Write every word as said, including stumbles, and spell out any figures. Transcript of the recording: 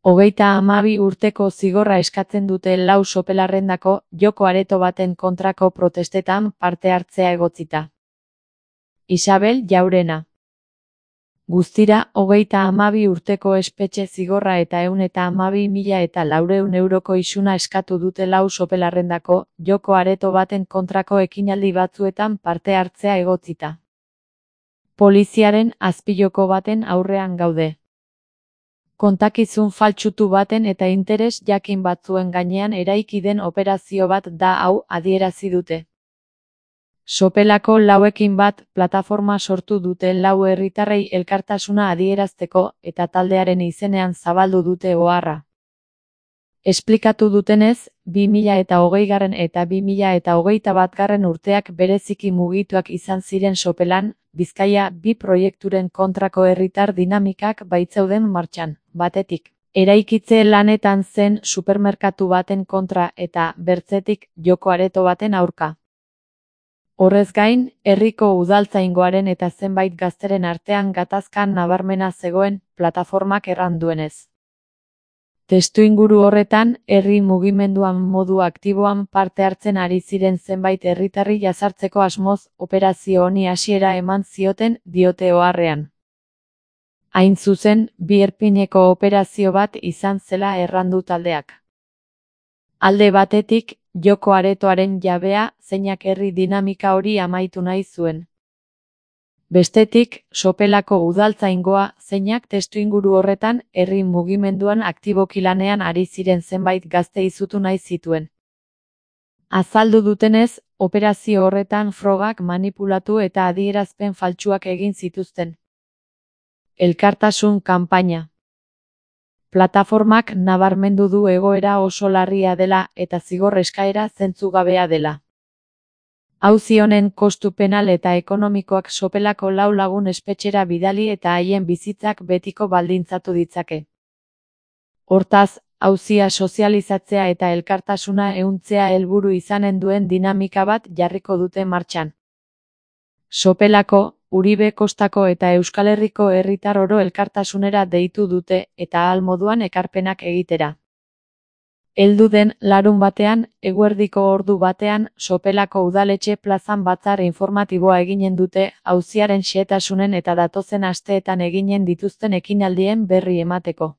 Hogeita hamabi urteko zigorra eskatzen dute lau sopelarrendako joko areto baten kontrako protestetan parte hartzea egotzita. Isabel Jaurena. Guztira, hogeita hamabi urteko espetxe zigorra eta ehun eta hamabi mila eta laurehun euroko isuna eskatu dute lau sopelarrendako joko areto baten kontrako ekinaldi batzuetan parte hartzea egotzita. Poliziaren azpijoko baten aurrean gaude. Kontakizun faltsutu baten eta interes jakin batzuen gainean eraiki den operazio bat da hau, adierazi dute. Sopelako lauekin bat plataforma sortu dute lau herritarrei elkartasuna adierazteko eta taldearen izenean zabaldu dute oharra. Esplikatu dutenez, bi mila eta hogeigarren eta bi mila eta hogeita batgarren urteak bereziki mugituak izan ziren Sopelan, Bizkaia bi proiekturen kontrako herritar dinamikak baitzeuden martxan, batetik. Eraikitze lanetan zen supermerkatu baten kontra eta, bertzetik, joko areto baten aurka. Horrez gain, herriko udaltzaingoaren eta zenbait gazteren artean gatazkan nabarmena zegoen, plataformak erran duenez. Testuinguru horretan, herri mugimenduan modu aktiboan parte hartzen ari ziren zenbait herritarri jazartzeko asmoz, operazio honi hasiera eman zioten, diote oharrean. Hain zuzen, bi erpineko operazio bat izan zela errandu taldeak. Alde batetik, joko aretoaren jabea, zeinak herri dinamika hori amaitu nahi zuen. Bestetik, Sopelako udaltzaingoa, zeinak testuinguru horretan, herri mugimenduan aktiboki lanean ari ziren zenbait gazte izutu nahi zituen. Azaldu dutenez, operazio horretan frogak manipulatu eta adierazpen faltsuak egin zituzten. Elkartasun kanpaina. Plataformak nabarmendu du egoera oso larria dela eta zigor eskaera zentzugabea dela. Auzi honen kostu penal eta ekonomikoak Sopelako lau lagun espetxera bidali eta haien bizitzak betiko baldintzatu ditzake. Hortaz, auzia sozializatzea eta elkartasuna ehuntzea helburu izanen duen dinamika bat jarriko dute martxan. Sopelako, Uribe Kostako eta Euskal Herriko herritar oro elkartasunera deitu dute eta ahal moduan ekarpenak egitera. Heldu den larun batean, eguerdiko ordu batean, Sopelako udaletxe plazan batzar informatiboa eginen dute, auziaren xehetasunen eta datozen asteetan eginen dituzten ekinaldien berri emateko.